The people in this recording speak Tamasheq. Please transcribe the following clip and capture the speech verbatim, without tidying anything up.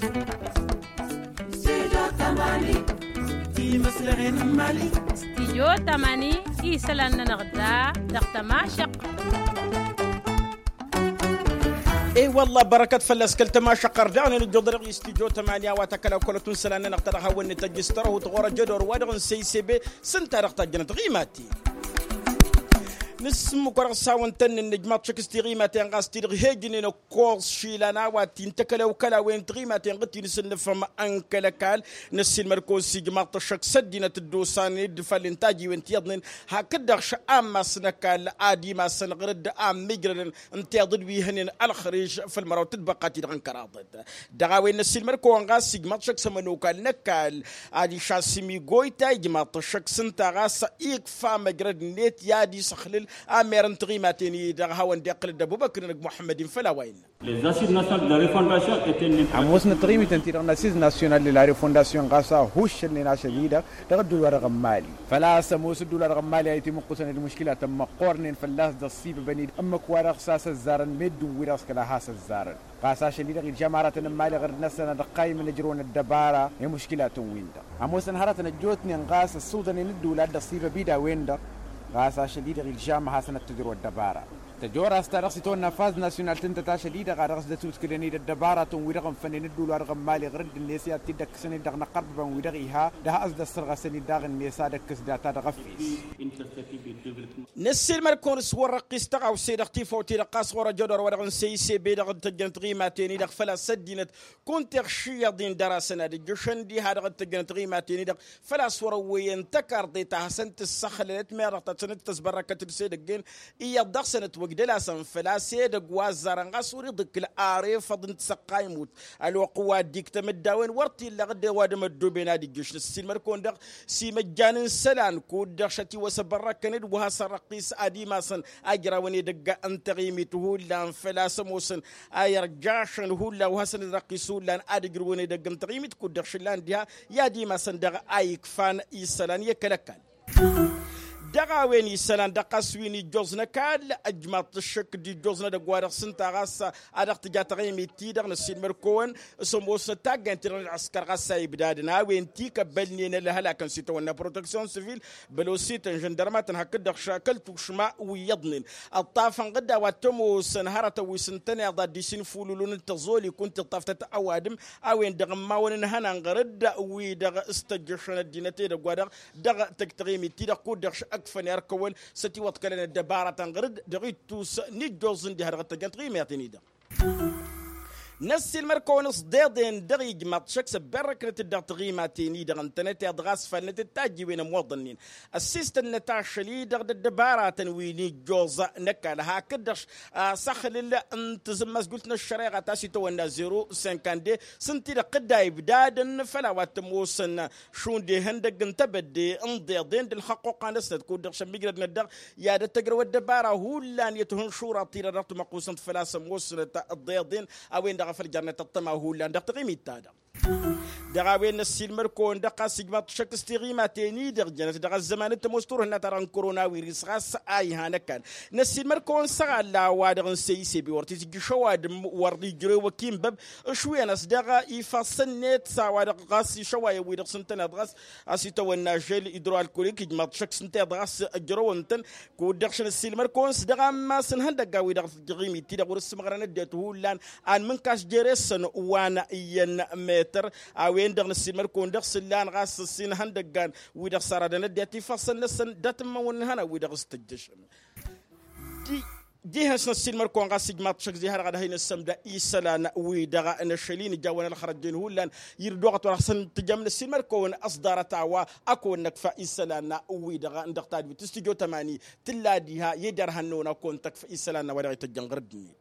Studio tămani, ti măslăɣen n-imali. Studio tămani, isălan-nănăɣ da dăɣ-tămašăq. E-wălla bărăkăt fălla-s kăl-tămašăq ărdaɣnen ǝjjuḍ dăɣ-studio tămani a-wa tăkălăw kălătun isălan-nănăɣ ta dăɣ-hawăn-net ăjjǝs tărăhut ɣur-ăjădor wa dăɣ-n săysebe. S-ǝnta dăɣ-tajjănăt ɣimati. Nǝsmǝk wa dăɣ-s hawăn-tăn-nǝnnǝj maḍ šăkk s-tiɣimaten ɣas ti-dăɣ hejnen ăkkoẓ išilan a-wa t-in-tăkălăw kăla-wen tiɣimaten ɣǝd ti-nǝsǝnnǝfăm n-kăl-ăkall. Năssiilmăd-kăwăn s-ijmaḍ-t ăššăk s-ăddinăt dd-osan d-ifallen tajiwen ti iyyăḍnen hakd-dăɣ šăammas n-ăkall ad-imasăn ɣǝr-dd a ămmiijrădăn n-tiḍǝd wi hănen ălxăriž făll-măraw tǝtbăqqa-ti-dăɣ n-kăraḍăt. Dăɣ-a-wen năssiilmăd-kăwăn ɣas ijmaḍ-t šăkk s-ămănokal n-ăkall adiš a-s imigoyta ijmaḍ-t ăššăk s-ǝnta ɣas ikfa măjrăd-net i-ad-isăxlǝl amer n-tiɣimaten-i-dăɣ hawăn-dd-iqqǝlăd d-ăbubăkr-nănăg muḥămmăd-in făll-a-wa innă. Ămoosnăt tiɣimiten-ti-dăɣ n-asiz nasyonal de la refondasyon ɣas a huššălnen ašăl-i-dăɣ dăɣ-ădduul-wa-dăɣ n-mali. Făl-a-s ămoos ădduul-wa-dăɣ n-mali a itǝmǝqqusăn d-muškilatăn măqqoornen fălla-s d-ăṣṣibăbăn-dd ǝmmǝk-wa-dăɣ s-a-s ăzzarăn meddǝn-wi-dăɣ s-kăla has-ăzzarăn. Ɣas ašăl-i-dăɣ ilžam aratăn n-mali ɣǝr-năsăn ad-ăqqaymăn ǝjrăwăn ăddăbara i-muškilatăn-win-dăɣ. Ămoosăn hărătăn ăjjootnen ɣas ăssudănen ǝddǝwǝl a dd-ăṣṣibăb-dd a-wen-dăɣ. Ɣas ašăl-i-dăɣ ilžam ad-hasăn-ăttǝjrăw ăddăbara. Tăjorast ta dăɣ-s itawănna faz nasyonal tǝntăt ašăl-i-dăɣ a dăɣ-s dd-ătutǝklăn-dd ăddăbaratăn-wi-dăɣ ǝnfănnen ǝddǝwǝl-wa-dăɣ n-mali ɣǝr-dd-net i-ad-t-dd-ăkkăsăn-dd dăɣ-inăqqărbăbăn-wi-dăɣ iha d-has-dd-ăssărɣăsăn-dd daɣ-net ad-ăkkǝs data dăɣ-efes. Năssiilmăd-kăwăn s-wăr-răqqis tăɣawse-dăɣ tifawt-i-dăɣ ɣas ɣur-ăjădor wa dăɣ-n săysebe dăɣ-tăjjănăt ɣimaten-i-dăɣ făl-a-s ăddinăt kunta iɣšǝyyăḍ-in dăr-asăn ad-ǝjjǝšăn diha dăɣ-tăjjănăt ɣimaten-i-dăɣ făl-a-s wăr-ăwwăyăn tăkarḍe ta hasăn-tǝssăxlălăt meɣ dăɣ-ta hasăn-tăsbărrăkăt d-sedăgg-en. Iyyăḍ dăɣ-săn ătwăjj d-ălasăn făl-a-s edăgg wa ăzzarăn ɣas wăr-iḍǝkǝl arefăḍ n-tisăqqayǝmut ălwăqq wa dd-iktăm d-a-wen wăr t-illa ɣǝdden wa d-măddoben ad-ijjǝš năssiilmăd-kăwăn-dăɣ s-imăjjan n-isălan kud-dăɣ šătiwăs abărrăkăn-dd wa has-ărrăqqis ad-imasăn ajrawăn edăgg n-taɣimit hullan făl-a-s ămoosăn a irjašăn hullan wa hasăn-ărrăqqis hullan ad-ǝjrǝwăn edăgg n-taɣimit kud-dăɣ šǝllan diha i-ad-imasăn daɣ a ikfan isălan i-kăl-ăkall. Dăɣ-a-wen isălan dăɣ-ɣas wi n-ijjoẓ n-ăkall ăjmaḍ-t ăššăk d-ijjoẓ n-edăgg wa dăɣ-s ǝnta ɣas a dăɣ-tǝja taɣimit-ti-dăɣ năssiilmăd-kăwăn s-ămoosnăt taggaynt-ti-dăɣ n-ălɣǝskăr ɣas a ibdadăn a-wen tikăbbălnen ălhălakăn s-itawănna proteksyon sivil bălosităn žăndărmatăn hakd-dăɣ šakăl tušma wi iyyăḍnen. Ǝṭṭafăn ɣǝdda wa t-ămoosăn hărătăn wi s-ǝntăneḍ ad-dd-isinfululun d-tăẓoli kunta iṭṭaftăt ăwadǝm a-wen-dăɣ ǝmmawăn ǝnhănan ɣăr-dd wi-dăɣ s-tăjjăšăn ăddinăt edăgg wa-dăɣ dăɣ-tăjj taɣimit-ti-dăɣ kud-dăɣ š-ăkfăn irkăwăn s-ătiwăḍkălăn ăddăbaratăn ɣăr-dd dăɣ-ittus n-ijjoẓ n-diha dăɣ-tăjjăn taɣimit-in-i-dăɣ. Năssiilmăd-kăwăn s-deḍen dăɣ-ijmaḍ šăkk s-ăbberrăknăt-dd dăɣ-taɣimaten-i-dăɣ ǝntănăteḍ ɣas falnăt d-tajjiwen ămoḍănnen ăssistănnăt ašăl-i-dăɣ d-ăddăbaratăn wi n-ijjoẓ n-ăkall hakd-dăɣ s-asăxlǝl n-tazǝmmazgult n-ăššăreɣa ta s-itawănna zero sinkande s-ǝnta-i-dăɣ tǝdda ibdadăn făll-a-wa t-ămoosăn šund ihăndăgg n-tebădde n-iḍeḍen d-ǝlxăqquqa-năsnăt kud-dăɣ šămmijrădnăt daɣ i-ad-ăttăjrăw ăddăbara hullan i-tihǝnšurat-ti-dăɣ dăɣ-timăqqusăn făl-a-s ămoosnăt iḍeḍen a-wen-dăɣ a făl jărnăt ăṭṭăma hullan dăɣ-taɣimit-ta-dăɣ. Dăɣ-a-wen năssiilmăd-kăwăn-dăɣ ɣas ijmaḍ-t šăkk s-tiɣimaten-i-dăɣ jănăt dăɣ-ăzzăman n-tămoos turhǝnna-ta-dăɣ n-korona wirǝs ɣas a iha n-ăkall. Năssiilmăd-kăwăn s-aɣalla wa dăɣ-n săy isebe wăr t-itǝjjǝš ăwadǝm wăr ijrăw ăkinbăb ǝšwǝyăn-as dăɣ-ifassăn-net s-a-wa-dăɣ ɣas išăwayăn-wi-dăɣ s-ǝntăneḍ ɣas a-s itawănna žel idro-alkolik ijmaḍ-t šăkk s-ǝnta-i-dăɣ a-s ǝjrăwăn-tăn. Kud-dăɣ šăn ăssiilmăd-kăwăn s-dăɣ-ammas n-ihăndăgga-wi-dăɣ tăjjăɣ imit-ti-dăɣ wăr-ǝssǝmɣărăn ăddinăt hullan anmǝnkaš jer-esăn wa n-iyyăn metăr. A-wen-dăɣ năssiilmăd-kăwăn dăɣ-s ǝllan ɣas ǝssin ihăndăggan wi-dăɣ s-aradăn ăddinăt ifassăn-năsăn dat-ǝmmăwăn n-ihănan-wi-dăɣ s-tăjjăšăn. Dihăn-s năssiilmăd-kăwăn ɣas ijmaḍ-t šăkk ziha-dăɣ ad-hin-ǝssămda isălan-wi-dăɣ n-ašăl-i nǝjawăn ălxărăjjen hullan. Irduɣăt wăr hasăn-tǝjăm năssiilmăd-kăwăn ăṣḍarăt a-wa ăkăwăn năkfa isălan-wi-dăɣ dăɣ-tadwit s-tijot ămani tǝlla diha i-derhan-năwăn ăkăwăn tăkfa isălan-năwăn wa dăɣ-ităjjăn ɣăr-dd-net.